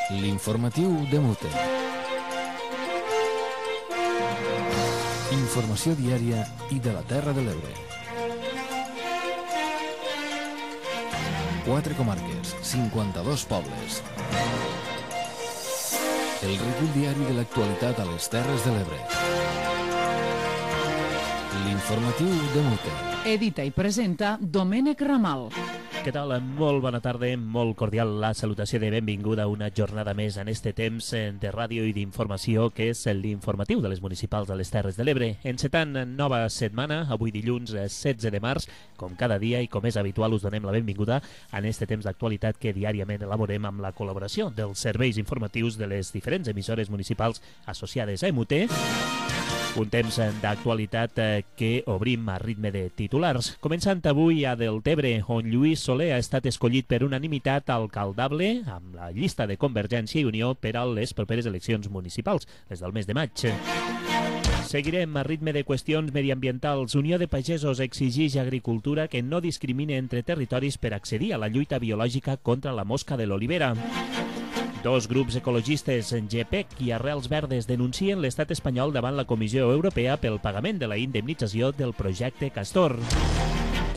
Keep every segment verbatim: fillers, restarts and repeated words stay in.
L'informatiu de Mute. Informació diària i de la Terra de l'Ebre. Quatre comarques, cinquanta-dos pobles. El recull diari de l'actualitat a les Terres de l'Ebre. L'informatiu de Mute. Edita i presenta Domènec Ramal. Què tal? Molt bona tarda, molt cordial la salutació de benvinguda a una jornada més en este temps de ràdio i d'informació que és l'informatiu de les municipals de les Terres de l'Ebre. Encetant nova setmana, avui dilluns setze de març, com cada dia i com és habitual us donem la benvinguda en este temps d'actualitat que diàriament elaborem amb la col·laboració dels serveis informatius de les diferents emissores municipals associades a M U T. Un temps d'actualitat que obrim a ritme de titulars. Començant avui a Deltebre, on Lluís Soler ha estat escollit per unanimitat alcaldable amb la llista de Convergència i Unió per a les properes eleccions municipals, les del mes de maig. Seguirem a ritme de qüestions mediambientals. Unió de Pagesos exigeix a Agricultura que no discrimine entre territoris per accedir a la lluita biològica contra la mosca de l'olivera. Dos grups ecologistes, G P E C i Arrels Verdes, denuncien l'estat espanyol davant la Comissió Europea pel pagament de la indemnització del projecte Castor.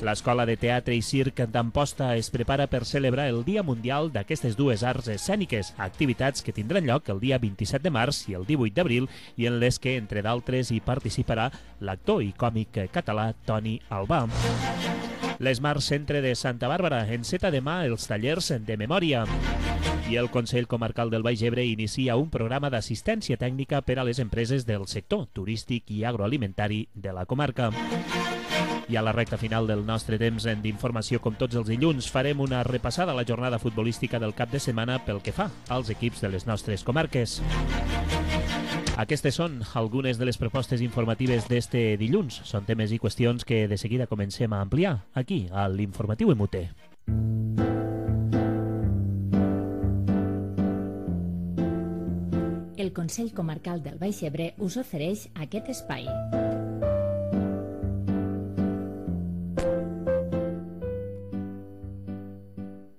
L'Escola de Teatre i Circ d'Amposta es prepara per celebrar el Dia Mundial d'aquestes dues arts escèniques, activitats que tindran lloc el dia vint-i-set de març i el divuit d'abril i en les que, entre d'altres, hi participarà l'actor i còmic català Toni Albà. L'Esmart Centre de Santa Bàrbara enceta demà els tallers de memòria. I el Consell Comarcal del Baix Ebre inicia un programa d'assistència tècnica per a les empreses del sector turístic i agroalimentari de la comarca. I a la recta final del nostre temps d'informació, com tots els dilluns, farem una repassada a la jornada futbolística del cap de setmana pel que fa als equips de les nostres comarques. Aquestes són algunes de les propostes informatives d'este dilluns. Són temes i qüestions que de seguida comencem a ampliar aquí, a l'Informatiu M U T. El Consell Comarcal del Baix Ebre us ofereix aquest espai.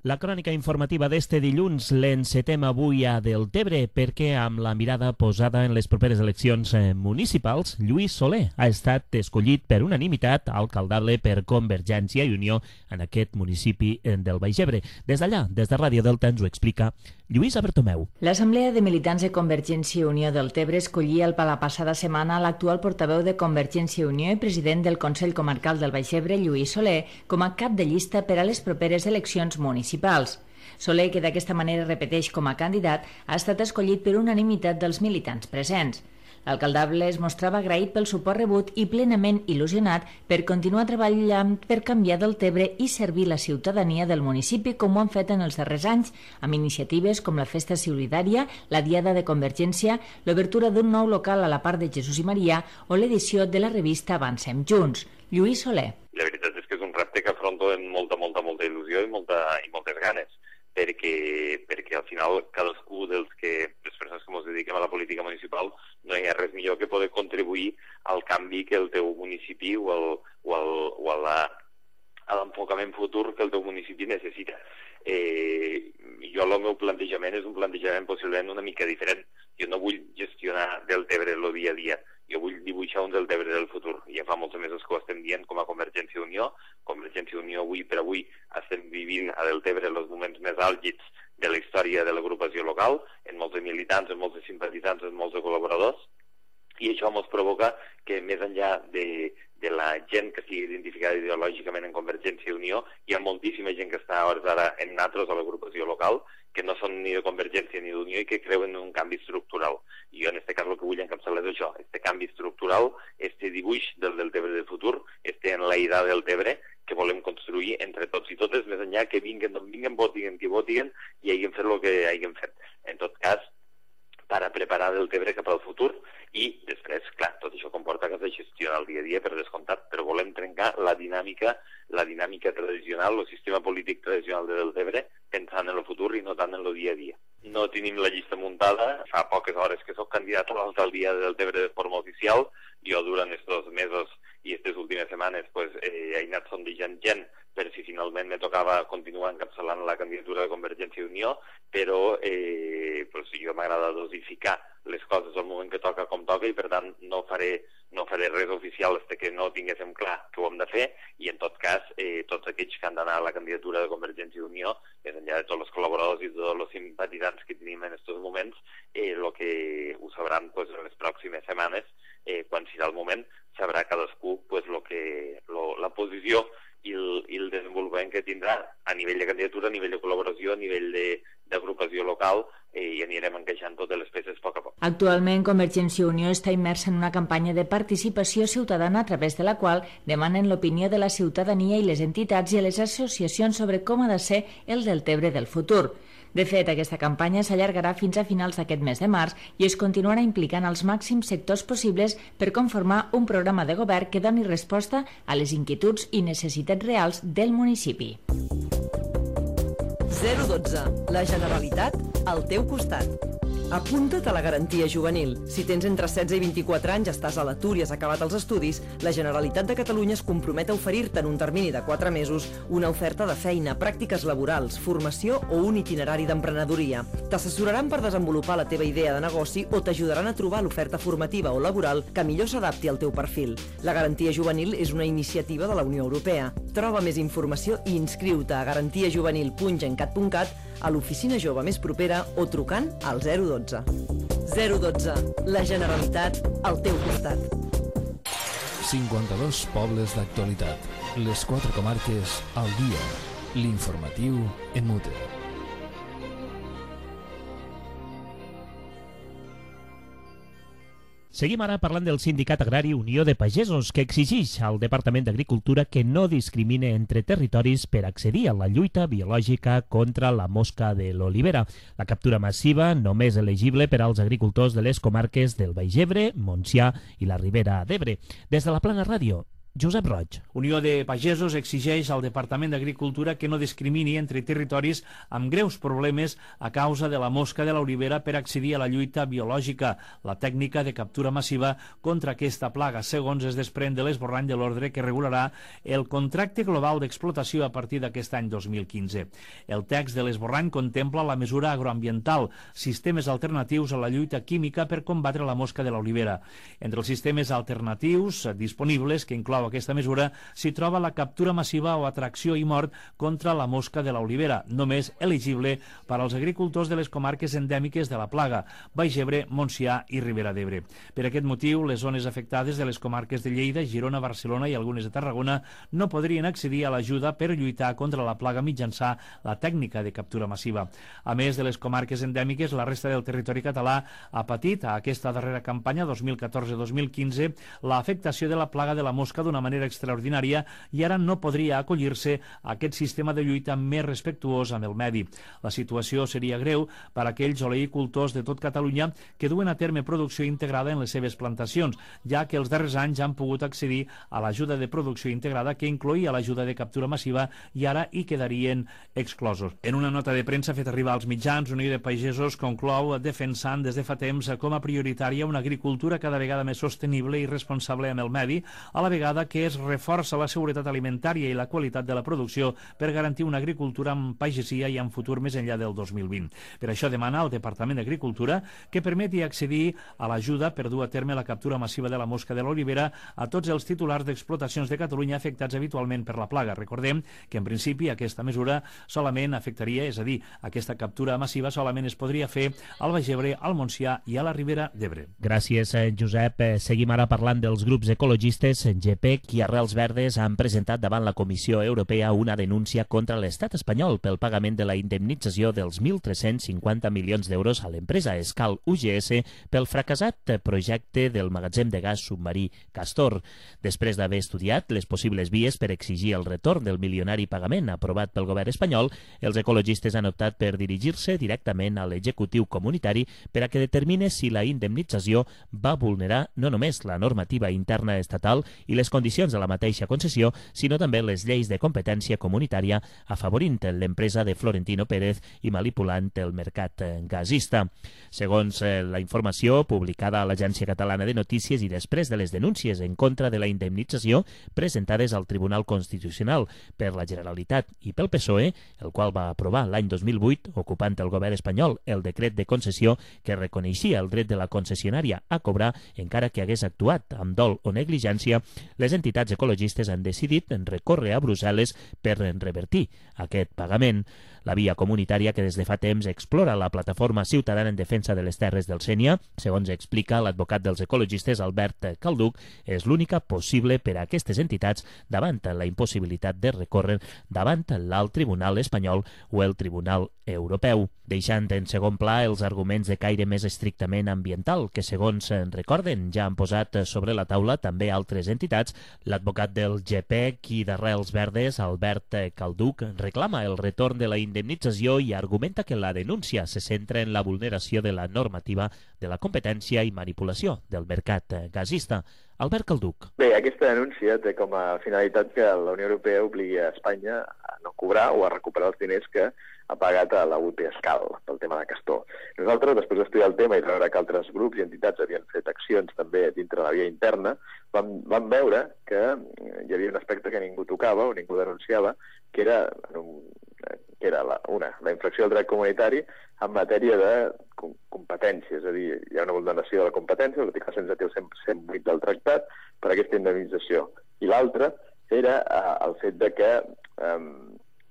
La crònica informativa d'este dilluns l'encetem avui a Deltebre perquè amb la mirada posada en les properes eleccions municipals, Lluís Soler ha estat escollit per unanimitat alcaldable per Convergència i Unió en aquest municipi del Baix Ebre. Des d'allà, des de Ràdio Delta, ens ho explica Lluïsa Bertomeu. L'Assemblea de Militants de Convergència i Unió Deltebre escollia el la passada setmana l'actual portaveu de Convergència i Unió i president del Consell Comarcal del Baix Ebre, Lluís Soler, com a cap de llista per a les properes eleccions municipals. Soler, que d'aquesta manera repeteix com a candidat, ha estat escollit per unanimitat dels militants presents. L'alcaldable es mostrava agraït pel suport rebut i plenament il·lusionat per continuar treballant per canviar Deltebre i servir la ciutadania del municipi com ho han fet en els darrers anys, amb iniciatives com la Festa Solidària, la Diada de Convergència, l'obertura d'un nou local a la part de Jesús i Maria o l'edició de la revista Avancem Junts. Lluís Soler. La veritat és que és un repte que afronto amb molta, molta, molta il·lusió i, molta, i moltes ganes, perquè, perquè al final cadascú dels que, les persones que ens dediquem a la política municipal, no hi ha res millor que poder contribuir al canvi que el teu municipi o, el, o, el, o a la, a l'enfocament futur que el teu municipi necessita. Eh, jo el meu plantejament és un plantejament possiblement una mica diferent. Jo no vull gestionar Deltebre el dia a dia, jo vull dibuixar un Deltebre del futur. Ja fa molts mesos que ho estem dient com a Convergència i Unió. Convergència i Unió avui per avui estem vivint a Deltebre els moments més àlgids de la història de l'agrupació local, en molts de militants, en molts de simpatitzants, en molts de col·laboradors, i això ens provoca que més enllà de, de la gent que sigui identificada ideològicament en Convergència i Unió, hi ha moltíssima gent que està a hores d'ara en natros a l'agrupació local, que no són ni de Convergència ni d'Unió i que creuen en un canvi estructural. I jo en aquest cas el que vull encapçalar és això, este canvi estructural, este dibuix del Deltebre del futur, este enlaïdar del Deltebre, que volem construir entre tots i totes, més enllà que vinguen d'on vinguen, votiguen qui votiguen i hagin fet el que hagin fet. En tot cas, per a preparar Deltebre cap al futur i després, clar, tot això comporta que has de gestionar el dia a dia per descomptat, però volem trencar la dinàmica, la dinàmica tradicional, el sistema polític tradicional de Deltebre, pensant en el futur i no tant en el dia a dia. No tenim la llista muntada, fa poques hores que soc candidat a l'alcaldia de Deltebre de forma oficial, jo durant estos mesos i aquestes últimes setmanes pues, eh, he anat sondejant gent per si finalment me tocava continuar encapçalant la candidatura de Convergència i Unió, però eh, pues, jo m'agrada dosificar les coses al moment que toca com toca i per tant no faré, no faré res oficial fins que no tinguéssim clar que ho hem de fer i en tot cas eh, tots aquells que han d'anar a la candidatura de Convergència i Unió, més enllà de tots els col·laboradors i de tots els simpatitzants que tenim en aquests moments, eh, lo que ho sabran pues, en les pròximes setmanes, eh, quan serà el moment, sabrà cadascú pues, lo que, lo, la posició i el, i el desenvolupament que tindrà a nivell de candidatura, a nivell de col·laboració, a nivell d'agrupació local eh, i anirem encaixant totes les peces a poc a poc. Actualment, Convergència i Unió està immersa en una campanya de participació ciutadana a través de la qual demanen l'opinió de la ciutadania i les entitats i les associacions sobre com ha de ser el Deltebre del futur. De fet, aquesta campanya s'allargarà fins a finals d'aquest mes de març i es continuarà implicant els màxims sectors possibles per conformar un programa de govern que doni resposta a les inquietuds i necessitats reals del municipi. zero dotze. La Generalitat al teu costat. Apunta't a la garantia juvenil. Si tens entre setze i vint-i-quatre anys, estàs a l'atur i has acabat els estudis, la Generalitat de Catalunya es compromet a oferir-te en un termini de quatre mesos una oferta de feina, pràctiques laborals, formació o un itinerari d'emprenedoria. T'assessoraran per desenvolupar la teva idea de negoci o t'ajudaran a trobar l'oferta formativa o laboral que millor s'adapti al teu perfil. La garantia juvenil és una iniciativa de la Unió Europea. Troba més informació i inscriu-te a garantiajuvenil punt gencat punt cat, a l'oficina jove més propera o trucant al zero dotze. zero dotze. La Generalitat al teu costat. cinquanta-dos pobles d'actualitat. Les quatre comarques al dia. L'informatiu en mute. Seguim ara parlant del sindicat agrari Unió de Pagesos, que exigeix al Departament d'Agricultura que no discrimine entre territoris per accedir a la lluita biològica contra la mosca de l'olivera. La captura massiva només elegible per als agricultors de les comarques del Baix Ebre, Montsià i la Ribera d'Ebre. Des de la Plana Ràdio, Josep Roig. Unió de Pagesos exigeix al Departament d'Agricultura que no discrimini entre territoris amb greus problemes a causa de la mosca de l'olivera per accedir a la lluita biològica, la tècnica de captura massiva contra aquesta plaga, segons es desprèn de l'esborrany de l'ordre que regularà el contracte global d'explotació a partir d'aquest any dos mil quinze. El text de l'esborrany contempla la mesura agroambiental, sistemes alternatius a la lluita química per combatre la mosca de l'olivera. Entre els sistemes alternatius disponibles que inclou aquesta mesura s'hi troba la captura massiva o atracció i mort contra la mosca de l'olivera, només elegible per als agricultors de les comarques endèmiques de la plaga, Baix Ebre, Montsià i Ribera d'Ebre. Per aquest motiu, les zones afectades de les comarques de Lleida, Girona, Barcelona i algunes de Tarragona no podrien accedir a l'ajuda per lluitar contra la plaga mitjançant la tècnica de captura massiva. A més de les comarques endèmiques, la resta del territori català ha patit a aquesta darrera campanya dos mil catorze dos mil quinze l'afectació de la plaga de la mosca d'una manera extraordinària i ara no podria acollir-se a aquest sistema de lluita més respectuós amb el medi. La situació seria greu per a aquells oleïcultors de tot Catalunya que duen a terme producció integrada en les seves plantacions, ja que els darrers anys han pogut accedir a l'ajuda de producció integrada que incloïa l'ajuda de captura massiva i ara hi quedarien exclosos. En una nota de premsa feta arribar als mitjans, Unió de Pagesos conclou defensant des de fa temps com a prioritària una agricultura cada vegada més sostenible i responsable amb el medi, a la vegada que es reforça la seguretat alimentària i la qualitat de la producció per garantir una agricultura amb pagesia i amb futur més enllà del dos mil vint. Per això demana al Departament d'Agricultura que permeti accedir a l'ajuda per dur a terme la captura massiva de la mosca de l'olivera a tots els titulars d'explotacions de Catalunya afectats habitualment per la plaga. Recordem que en principi aquesta mesura solament afectaria, és a dir, aquesta captura massiva solament es podria fer al Baix Ebre, al Montsià i a la Ribera d'Ebre. Gràcies, Josep. Seguim ara parlant dels grups ecologistes G P i Arrels Verdes han presentat davant la Comissió Europea una denúncia contra l'estat espanyol pel pagament de la indemnització dels mil tres-cents cinquanta milions d'euros a l'empresa Escal U G S pel fracassat projecte del magatzem de gas submarí Castor. Després d'haver estudiat les possibles vies per exigir el retorn del milionari pagament aprovat pel govern espanyol, els ecologistes han optat per dirigir-se directament a l'executiu comunitari per a que determine si la indemnització va vulnerar no només la normativa interna estatal i les condicions de la mateixa concessió, sinó també les lleis de competència comunitària, afavorint l'empresa de Florentino Pérez i manipulant el mercat gasista. Segons la informació publicada a l'Agència Catalana de Notícies i després de les denúncies en contra de la indemnització presentades al Tribunal Constitucional per la Generalitat i pel P S O E, el qual va aprovar l'any dos mil vuit, ocupant el govern espanyol el decret de concessió que reconeixia el dret de la concessionària a cobrar encara que hagués actuat amb dol o negligència, les entitats ecologistes han decidit recórrer a Brussel·les per revertir aquest pagament. La via comunitària que des de fa temps explora la plataforma ciutadana en defensa de les terres del Sénia, segons explica l'advocat dels ecologistes Albert Calduc, és l'única possible per a aquestes entitats davant la impossibilitat de recórrer davant l'alt tribunal espanyol o el tribunal europeu, deixant en segon pla els arguments de caire més estrictament ambiental que, segons recorden, ja han posat sobre la taula també altres entitats. L'advocat del G P E C i d'Arrels Verdes, Albert Calduc, reclama el retorn de la indemnització i argumenta que la denúncia se centra en la vulneració de la normativa de la competència i manipulació del mercat gasista. Albert Calduc. Bé, aquesta denúncia té com a finalitat que la Unió Europea obligui a Espanya a no cobrar o a recuperar els diners que ha pagat a la U P Escal pel tema de Castor. Nosaltres, després d'estudiar el tema i de veure que altres grups i entitats havien fet accions també dintre la via interna, vam, vam veure que hi havia un aspecte que ningú tocava o ningú denunciava, que era, que era la, una, la infracció del dret comunitari en matèria de competència, és a dir, hi ha una vulneració de la competència, l'article cent vuit del tractat, per aquesta indemnització. I l'altra era eh, el fet de que eh,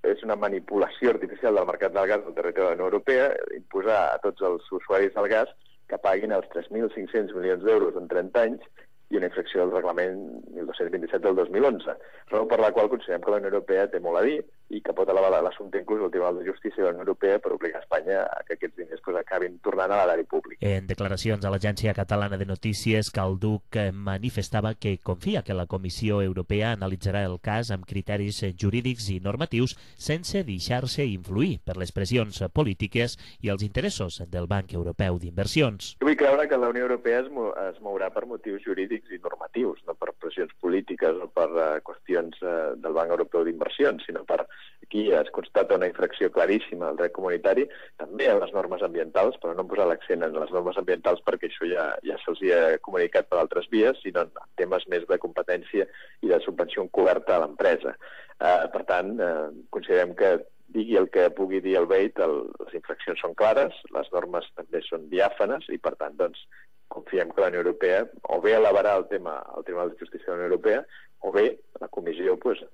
és una manipulació artificial del mercat del gas del territori de la Unió Europea, imposar a tots els usuaris del gas que paguin els tres mil cinc-cents milions d'euros en trenta anys i una infracció del reglament mil dos-cents vint-i-set del dos mil onze, raó per la qual considerem que la Unió Europea té molt a dir i que pot elevar l'assumpte inclús al Tribunal de Justícia de la Unió Europea per obligar a Espanya a que aquests diners pues, acabin tornant a l'erari públic. En declaracions a l'Agència Catalana de Notícies, Calduc manifestava que confia que la Comissió Europea analitzarà el cas amb criteris jurídics i normatius sense deixar-se influir per les pressions polítiques i els interessos del Banc Europeu d'Inversions. Jo vull creure que la Unió Europea es, mo es mourà per motius jurídics i normatius, no per pressions polítiques o per uh, qüestions uh, del Banc Europeu d'Inversions, sinó per aquí es constata una infracció claríssima al dret comunitari, també a les normes ambientals, però no posar l'accent en les normes ambientals perquè això ja, ja se'ls ha comunicat per altres vies, sinó en temes més de competència i de subvenció encoberta a l'empresa. Uh, per tant, uh, considerem que digui el que pugui dir el B E I T, el, les infraccions són clares, les normes també són diàfanes i, per tant, doncs, confiem que la Unió Europea o bé elevarà el tema al Tribunal de Justícia de la Unió Europea o bé la Comissió pues,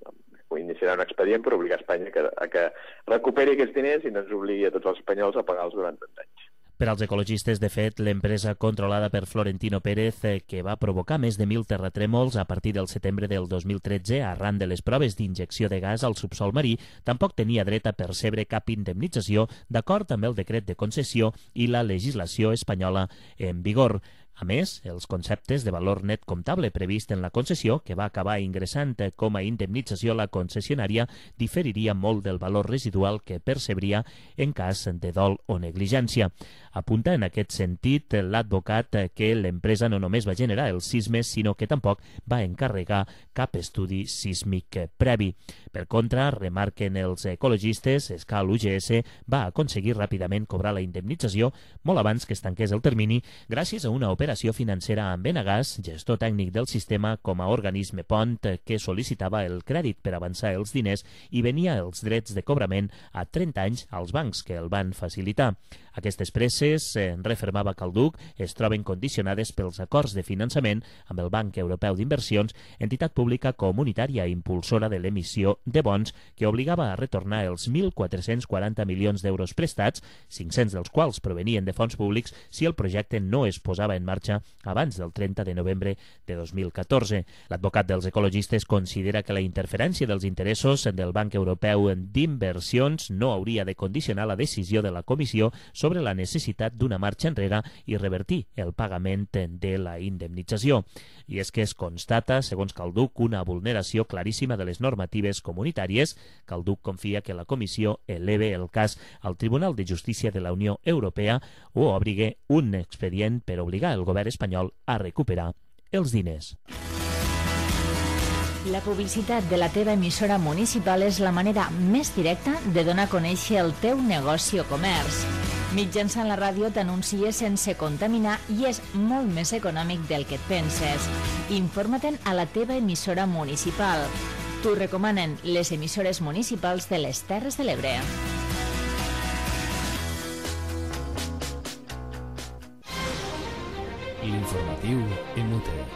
iniciarà un expedient per obligar Espanya que, a que recuperi aquests diners i no ens obligui a tots els espanyols a pagar-los durant trenta anys. Per als ecologistes, de fet, l'empresa controlada per Florentino Pérez, eh, que va provocar més de mil terratrèmols a partir del setembre del dos mil tretze arran de les proves d'injecció de gas al subsol marí, tampoc tenia dret a percebre cap indemnització d'acord amb el decret de concessió i la legislació espanyola en vigor. A més, els conceptes de valor net comptable previst en la concessió, que va acabar ingressant com a indemnització a la concessionària, diferiria molt del valor residual que percebria en cas de dol o negligència. Apunta en aquest sentit l'advocat que l'empresa no només va generar els sismes, sinó que tampoc va encarregar cap estudi sísmic previ. Per contra, remarquen els ecologistes, Escal U G S va aconseguir ràpidament cobrar la indemnització molt abans que es tanqués el termini gràcies a una operació operació financera amb Enagás, gestor tècnic del sistema com a organisme pont que sol·licitava el crèdit per avançar els diners i venia els drets de cobrament a trenta anys als bancs que el van facilitar. Aquestes presses, eh, refermava Calduc, es troben condicionades pels acords de finançament amb el Banc Europeu d'Inversions, entitat pública comunitària impulsora de l'emissió de bons que obligava a retornar els mil quatre-cents quaranta milions d'euros prestats, cinc-cents dels quals provenien de fons públics, si el projecte no es posava en marxa abans del trenta de novembre de dos mil catorze. L'advocat dels ecologistes considera que la interferència dels interessos del Banc Europeu d'Inversions no hauria de condicionar la decisió de la Comissió sobre la necessitat d'una marxa enrere i revertir el pagament de la indemnització. I és que es constata, segons Calduc, una vulneració claríssima de les normatives comunitàries. Calduc confia que la Comissió eleve el cas al Tribunal de Justícia de la Unió Europea o obrigue un expedient per obligar el govern espanyol a recuperar els diners. La publicitat de la teva emissora municipal és la manera més directa de donar a conèixer el teu negoci o comerç. Mitjançant la ràdio t'anuncies sense contaminar i és molt més econòmic del que et penses. Informa-te'n a la teva emissora municipal. T'ho recomanen les emissores municipals de les Terres de l'Ebre. L'informatiu Emute.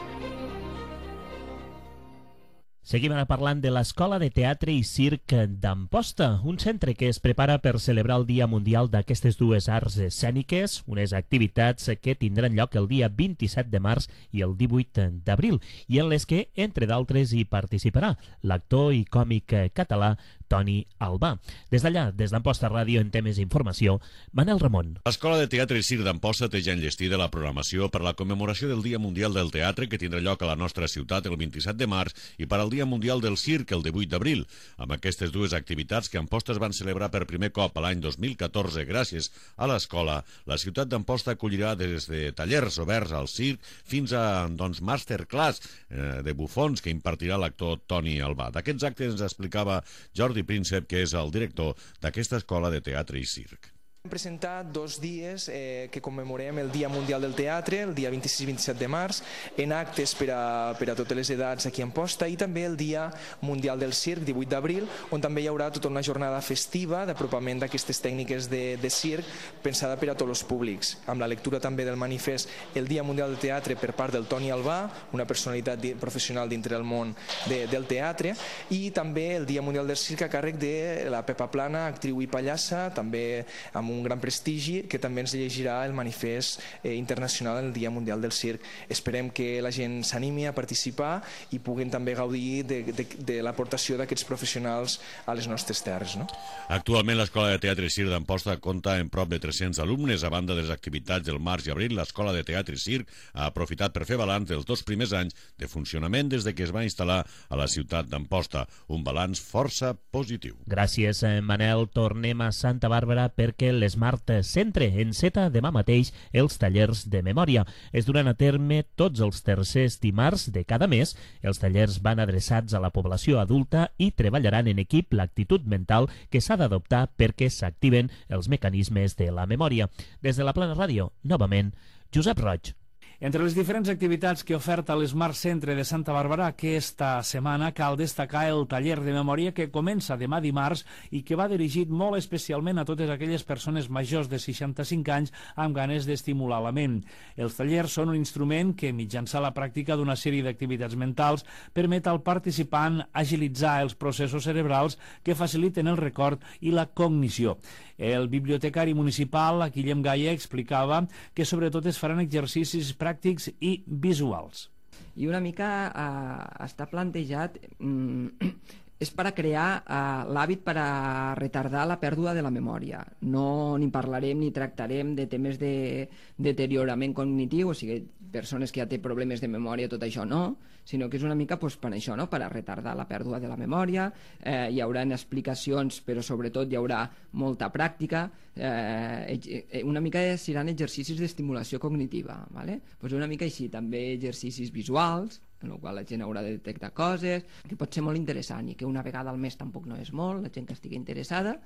Seguim ara parlant de l'Escola de Teatre i Circ d'Amposta, un centre que es prepara per celebrar el Dia Mundial d'aquestes dues arts escèniques, unes activitats que tindran lloc el dia vint-i-set de març i el divuit d'abril, i en les que, entre d'altres, hi participarà l'actor i còmic català Toni Albà. Des d'allà, des d'Amposta Ràdio, en temes d'informació, Manel Ramon. L'Escola de Teatre i Circ d'Amposta té ja enllestida la programació per la commemoració del Dia Mundial del Teatre, que tindrà lloc a la nostra ciutat el vint-i-set de març, i per al Dia Mundial del Circ el divuit d'abril. Amb aquestes dues activitats que Amposta es van celebrar per primer cop a l'any dos mil catorze gràcies a l'escola, la ciutat d'Amposta acollirà des de tallers oberts al circ fins a doncs, masterclass eh, de bufons que impartirà l'actor Toni Albà. D'aquests actes ens explicava Jordi Príncep, que és el director d'aquesta escola de teatre i circ. Hem presentat dos dies eh, que commemorem el Dia Mundial del Teatre, el dia vint-i-sis i vint-i-set de març, en actes per a, per a totes les edats aquí a Amposta, i també el Dia Mundial del Circ, divuit d'abril, on també hi haurà tota una jornada festiva d'apropament d'aquestes tècniques de, de circ pensada per a tots els públics, amb la lectura també del manifest El Dia Mundial del Teatre per part del Toni Albà, una personalitat professional dintre del món de, del teatre, i també el Dia Mundial del Circ a càrrec de la Pepa Plana, actriu i pallassa, també amb un gran prestigi, que també ens llegirà el manifest eh, internacional del Dia Mundial del Circ. Esperem que la gent s'animi a participar i puguin també gaudir de, de, de l'aportació d'aquests professionals a les nostres terres. No? Actualment l'Escola de Teatre i Circ d'Amposta compta amb prop de tres-cents alumnes. A banda de les activitats del març i abril, l'Escola de Teatre i Circ ha aprofitat per fer balanç dels dos primers anys de funcionament des de que es va instal·lar a la ciutat d'Amposta. Un balanç força positiu. Gràcies, Manel. Tornem a Santa Bàrbara perquè l'Smart Centre enceta demà mateix els tallers de memòria. Es duran a terme tots els tercers dimarts de cada mes. Els tallers van adreçats a la població adulta i treballaran en equip l'actitud mental que s'ha d'adoptar perquè s'activen els mecanismes de la memòria. Des de la Plana Ràdio, novament, Josep Roig. Entre les diferents activitats que oferta l'Smart Centre de Santa Bàrbara aquesta setmana cal destacar el taller de memòria que comença demà dimarts i que va dirigit molt especialment a totes aquelles persones majors de seixanta-cinc anys amb ganes d'estimular la ment. Els tallers són un instrument que, mitjançant la pràctica d'una sèrie d'activitats mentals, permet al participant agilitzar els processos cerebrals que faciliten el record i la cognició. El bibliotecari municipal, Guillem Gaia, explicava que sobretot es faran exercicis pràctics i visuals. I una mica eh, està plantejat, mm, és per a crear eh, l'hàbit per a retardar la pèrdua de la memòria. No ni parlarem ni tractarem de temes de deteriorament cognitiu, o sigui, persones que ja té problemes de memòria, tot això no, sinó que és una mica pues, per això, no? Per a retardar la pèrdua de la memòria. Eh, hi haurà explicacions, però sobretot hi haurà molta pràctica. Eh, una mica seran exercicis d'estimulació cognitiva, ¿vale? Pues una mica així, també exercicis visuals, en el qual la gent haurà de detectar coses, que pot ser molt interessant i que una vegada al mes tampoc no és molt, la gent que estigui interessada.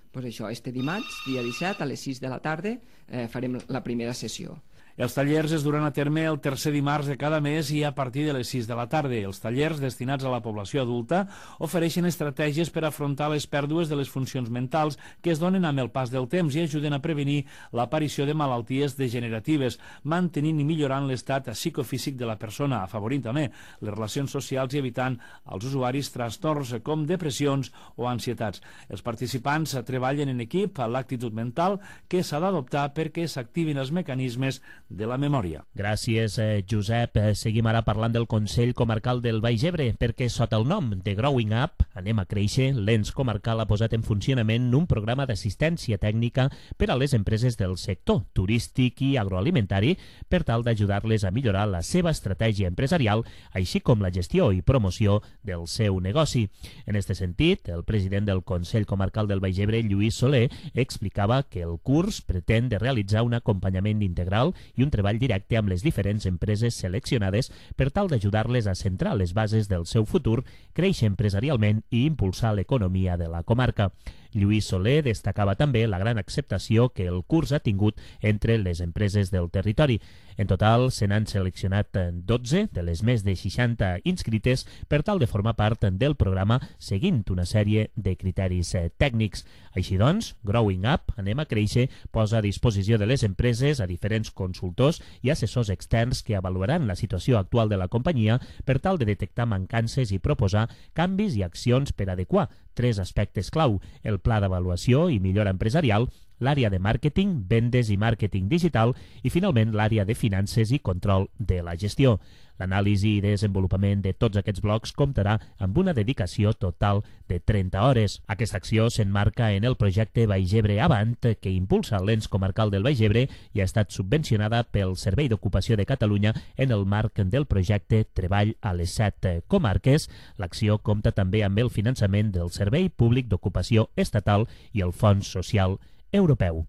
Pues això, este dimarts, dia disset, a les sis de la tarda, eh, farem la primera sessió. Els tallers es duran a terme el tercer dimarts de cada mes i a partir de les sis de la tarda. Els tallers destinats a la població adulta ofereixen estratègies per afrontar les pèrdues de les funcions mentals que es donen amb el pas del temps i ajuden a prevenir l'aparició de malalties degeneratives, mantenint i millorant l'estat psicofísic de la persona, afavorint també les relacions socials i evitant als usuaris trastorns com depressions o ansietats. Els participants treballen en equip a l'actitud mental que s'ha d'adoptar perquè s'activin els mecanismes de la memòria. Gràcies, eh, Josep. Eh, seguim ara parlant del Consell Comarcal del Baix Ebre, perquè sota el nom de Growing Up, anem a créixer, l'ens comarcal ha posat en funcionament un programa d'assistència tècnica per a les empreses del sector turístic i agroalimentari per tal d'ajudar-les a millorar la seva estratègia empresarial, així com la gestió i promoció del seu negoci. En aquest sentit, el president del Consell Comarcal del Baix Ebre, Lluís Soler, explicava que el curs pretén de realitzar un acompanyament integral i un treball directe amb les diferents empreses seleccionades per tal d'ajudar-les a centrar les bases del seu futur, créixer empresarialment i impulsar l'economia de la comarca. Lluís Soler destacava també la gran acceptació que el curs ha tingut entre les empreses del territori. En total, se n'han seleccionat dotze de les més de seixanta inscrites per tal de formar part del programa seguint una sèrie de criteris tècnics. Així doncs, Growing Up, Anem a Créixer, posa a disposició de les empreses a diferents consultors i assessors externs que avaluaran la situació actual de la companyia per tal de detectar mancances i proposar canvis i accions per adequar tres aspectes clau: el pla d'avaluació i millora empresarial, l'àrea de màrqueting, vendes i màrqueting digital i, finalment, l'àrea de finances i control de la gestió. L'anàlisi i desenvolupament de tots aquests blocs comptarà amb una dedicació total de trenta hores. Aquesta acció s'emmarca en el projecte Baix Ebre Avant, que impulsa l'ens comarcal del Baix Ebre i ha estat subvencionada pel Servei d'Ocupació de Catalunya en el marc del projecte Treball a les set comarques. L'acció compta també amb el finançament del Servei Públic d'Ocupació Estatal i el Fons Social Europeu.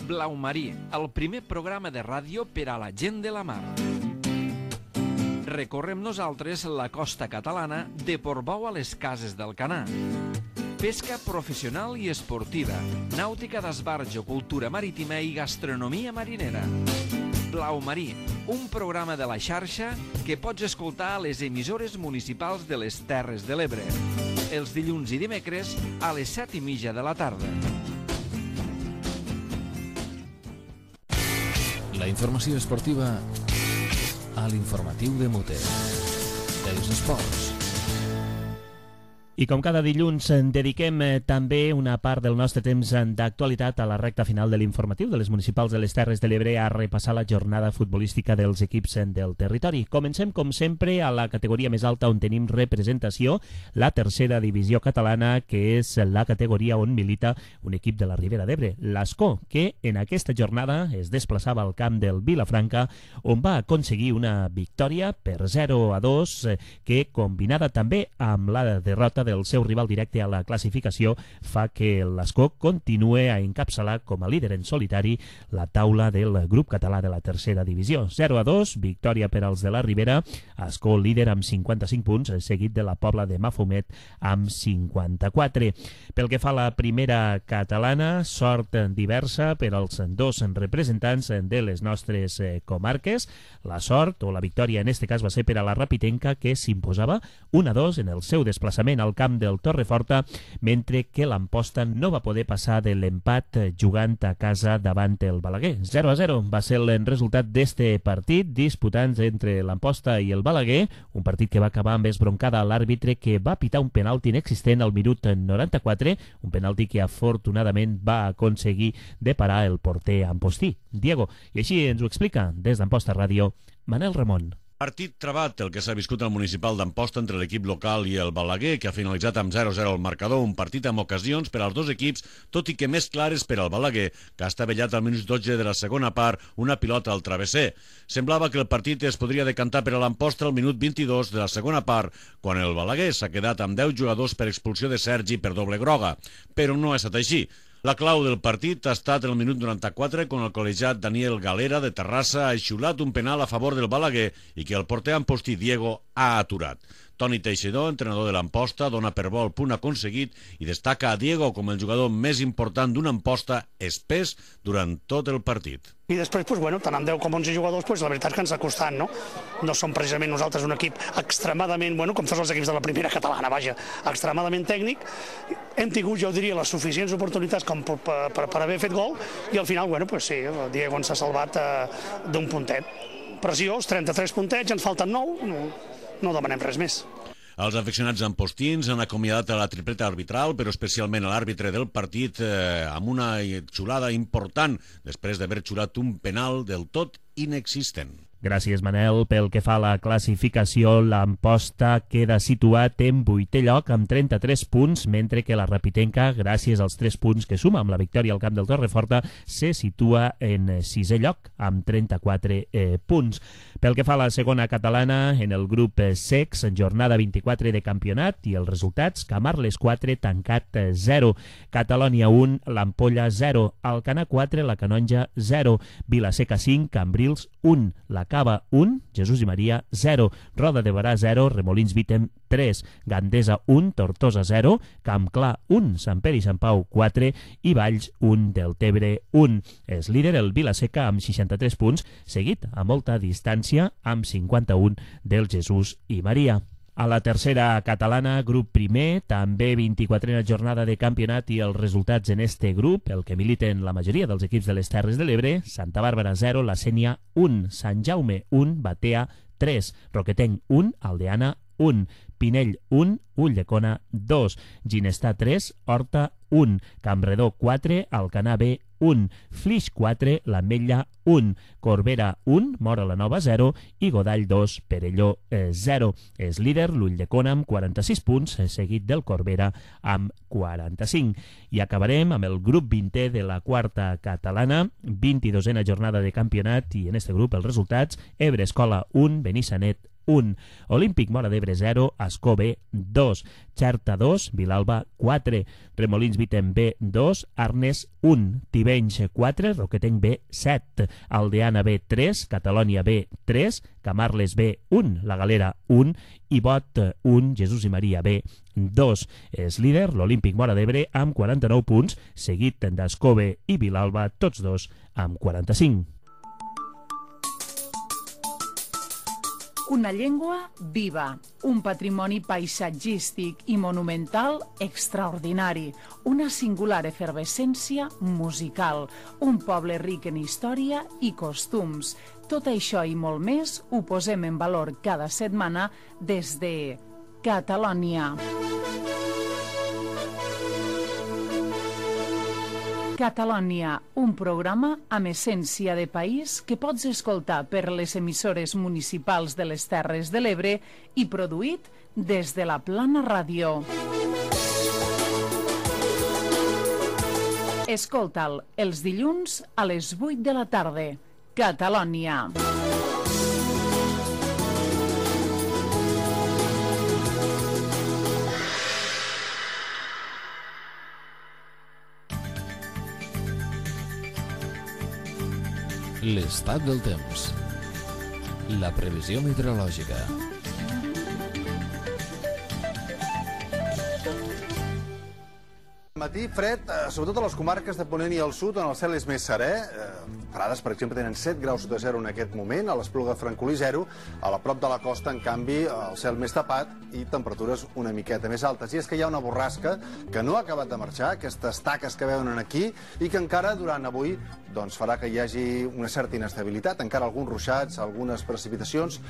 Blau Marí, el primer programa de ràdio per a la gent de la mar. Recorrem nosaltres la costa catalana de Portbou a les Cases d'Alcanar. Pesca professional i esportiva, nàutica d'esbarjo, cultura marítima i gastronomia marinera. Blau Marí, un programa de la xarxa que pots escoltar a les emissores municipals de les Terres de l'Ebre. Els dilluns i dimecres a les set i mitja de la tarda. La informació esportiva a l'informatiu de Mote. Els esports. I com cada dilluns dediquem també una part del nostre temps d'actualitat a la recta final de l'informatiu de les municipals de les Terres de l'Ebre a repassar la jornada futbolística dels equips del territori. Comencem, com sempre, a la categoria més alta on tenim representació, la tercera divisió catalana, que és la categoria on milita un equip de la Ribera d'Ebre, l'Ascó, que en aquesta jornada es desplaçava al camp del Vilafranca, on va aconseguir una victòria per zero a dos, que, combinada també amb la derrota del seu rival directe a la classificació, fa que l'Ascó continue a encapçalar com a líder en solitari la taula del grup català de la tercera divisió. zero a dos, victòria per als de la Ribera, Ascó líder amb cinquanta-cinc punts, seguit de la Pobla de Mafumet amb cinquanta-quatre. Pel que fa a la primera catalana, sort diversa per als dos representants de les nostres comarques. La sort, o la victòria en este cas, va ser per a la Rapitenca, que s'imposava un a dos en el seu desplaçament al camp del Torreforta, mentre que l'Amposta no va poder passar de l'empat jugant a casa davant el Balaguer. zero a zero va ser el resultat d'este partit, disputant entre l'Amposta i el Balaguer, un partit que va acabar amb esbroncada a l'àrbitre, que va pitar un penalti inexistent al minut noranta-quatre, un penalti que afortunadament va aconseguir de parar el porter ampostí, Diego. I així ens ho explica des d'Amposta Ràdio, Manel Ramon. Partit travat, el que s'ha viscut al municipal d'Amposta entre l'equip local i el Balaguer, que ha finalitzat amb zero a zero el marcador, un partit amb ocasions per als dos equips, tot i que més clares per al Balaguer, que ha estavellat al minut dotze de la segona part una pilota al travesser. Semblava que el partit es podria decantar per a l'Amposta al minut vint-i-dos de la segona part, quan el Balaguer s'ha quedat amb deu jugadors per expulsió de Sergi per doble groga, però no ha estat així. La clau del partit ha estat el minut noranta-quatre, quan el col·legiat Daniel Galera de Terrassa ha xiulat un penal a favor del Balaguer i que el porter ampostí Diego ha aturat. Toni Teixidor, entrenador de l'Amposta, dona per bo el punt aconseguit i destaca a Diego com el jugador més important d'una Amposta espès durant tot el partit. I després, doncs, bueno, tant amb deu com onze jugadors, doncs, la veritat és que ens ha costat, no? No som precisament nosaltres un equip extremadament, bueno, com tots els equips de la primera catalana, vaja, extremadament tècnic. Hem tingut, jo diria, les suficients oportunitats com per, per, per haver fet gol i al final, bueno, doncs sí, el Diego ens ha salvat eh, d'un puntet. Preciós, trenta-tres puntets, ens falten nou, no, no demanem res més. Els aficionats ampostins han acomiadat a la tripleta arbitral, però especialment a l'àrbitre del partit, eh, amb una xulada important després d'haver xulat un penal del tot inexistent. Gràcies, Manel. Pel que fa a la classificació, l'Amposta queda situat en vuitè lloc amb trenta-tres punts, mentre que la Rapitenca, gràcies als tres punts que suma amb la victòria al camp del Torreforta, se situa en sisè lloc amb trenta-quatre eh, punts. Pel que fa a la segona catalana, en el grup sex, en jornada vint-i-quatre de campionat i els resultats, Camarles quatre, Tancat zero, Catalònia un, l'Ampolla zero, Alcanar quatre, la Canonja zero, Vilaseca cinc, Cambrils un, la Cava un, Jesús i Maria zero, Roda de Barà zero, Remolins Vítem tres, Gandesa un, Tortosa zero, Camp Clar un, Sant Pere i Sant Pau quatre i Valls un, Deltebre un. És líder el Vilaseca amb seixanta-tres punts, seguit a molta distància amb cinquanta-un del Jesús i Maria. A la tercera catalana, grup primer, també vint-i-quatrena jornada de campionat i els resultats en este grup, el que militen la majoria dels equips de les Terres de l'Ebre, Santa Bàrbara zero, La Sénia un, Sant Jaume un, Batea tres, Roquetenc un, Aldeana un, Pinell un, Ulldecona dos, Ginestar tres, Horta un, Campredó quatre, Alcanar B un, Flix quatre, l'Ametlla un, Corbera un, Mora la Nova zero i Godall dos, Perelló zero. És líder l'Ulldecona amb quaranta-sis punts, seguit del Corbera amb quaranta-cinc. I acabarem amb el grup vintè de la quarta catalana, vint-i-dosena jornada de campionat i en este grup els resultats: Ebre Escola un, Benissanet un, Olímpic Móra d'Ebre zero, Ascó B dos, Xerta dos, Vilalba quatre, Remolins Vítem B dos, Arnes un, Tivenys quatre, Roquetenc B set, Aldeana B tres, Catalònia B tres, Camarles B un, La Galera un i Bot un, Jesús i Maria B dos. És líder l'Olímpic Móra d'Ebre amb quaranta-nou punts, seguit d'Ascó B i Vilalba, tots dos amb quaranta-cinc. Una llengua viva, un patrimoni paisatgístic i monumental extraordinari, una singular efervescència musical, un poble ric en història i costums. Tot això i molt més ho posem en valor cada setmana des de Catalònia. Catalònia, un programa amb essència de país que pots escoltar per les emissores municipals de les Terres de l'Ebre i produït des de la Plana Ràdio. Escolta'l els dilluns a les vuit de la tarda. Catalònia. L'estat del temps. La previsió meteorològica. Matí fred, sobretot a les comarques de Ponent i al sud, on el cel és més serè. Prades, per exemple, tenen set graus sota zero en aquest moment, a l'Espluga de Francolí zero, a la prop de la costa, en canvi, el cel més tapat i temperatures una miqueta més altes. I és que hi ha una borrasca que no ha acabat de marxar, aquestes taques que veuen aquí, i que encara durant avui doncs, farà que hi hagi una certa inestabilitat, encara alguns ruixats, algunes precipitacions.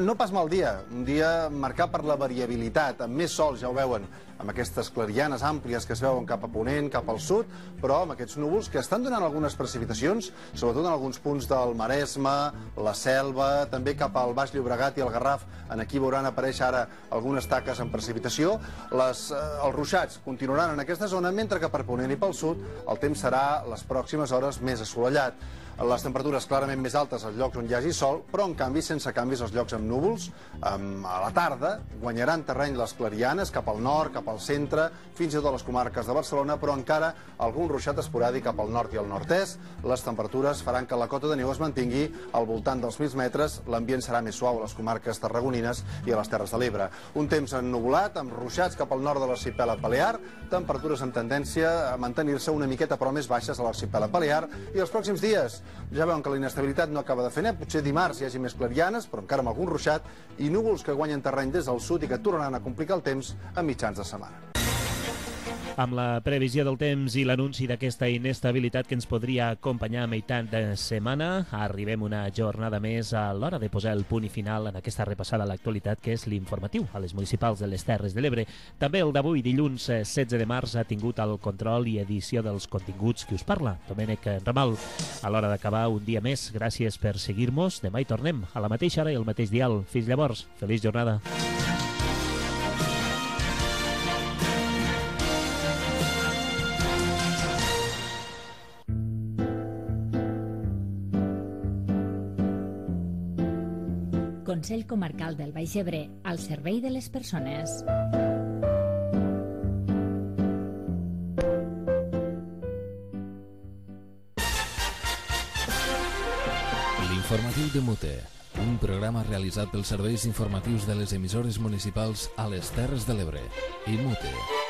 No pas mal dia, un dia marcat per la variabilitat, amb més sol, ja ho veuen, amb aquestes clarianes àmplies que es veuen cap a Ponent, cap al sud, però amb aquests núvols que estan donant algunes precipitacions, sobretot en alguns punts del Maresme, la Selva, també cap al Baix Llobregat i el Garraf. En aquí veuran aparèixer ara algunes taques en precipitació. Les, eh, els ruixats continuaran en aquesta zona, mentre que per Ponent i pel sud el temps serà les pròximes hores més assolellat. Les temperatures clarament més altes als llocs on hi hagi sol, però en canvi sense canvis als llocs amb núvols. A la tarda guanyaran terreny les clarianes cap al nord, cap al centre, fins i tot a les comarques de Barcelona, però encara algun ruixat esporàdic cap al nord i al nord-est. Les temperatures faran que la cota de neu es mantingui al voltant dels mil metres. L'ambient serà més suau a les comarques tarragonines i a les Terres de l'Ebre. Un temps ennuvolat, amb ruixats cap al nord de l'arxipèlag Balear, temperatures amb tendència a mantenir-se una miqueta però més baixes a l'arxipèlag Balear. I els pròxims dies ja veuen que la inestabilitat no acaba de fer net, potser dimarts hi hagi més clarianes, però encara amb algun ruixat, i núvols que guanyen terreny des del sud i que tornaran a complicar el temps a mitjans de setmana. Amb la previsió del temps i l'anunci d'aquesta inestabilitat que ens podria acompanyar a meitat de setmana, arribem una jornada més a l'hora de posar el punt i final en aquesta repassada a l'actualitat que és l'informatiu a les municipals de les Terres de l'Ebre. També el d'avui, dilluns setze de març, ha tingut el control i edició dels continguts que us parla, Domènec Ramal. A l'hora d'acabar un dia més, gràcies per seguir-nos. Demà hi tornem a la mateixa hora i al mateix dial. Fins llavors, feliç jornada. Consell Comarcal del Baix Ebre, al servei de les persones. L'informatiu de Mute, un programa realitzat pels serveis informatius de les emissores municipals a les Terres de l'Ebre i Mute.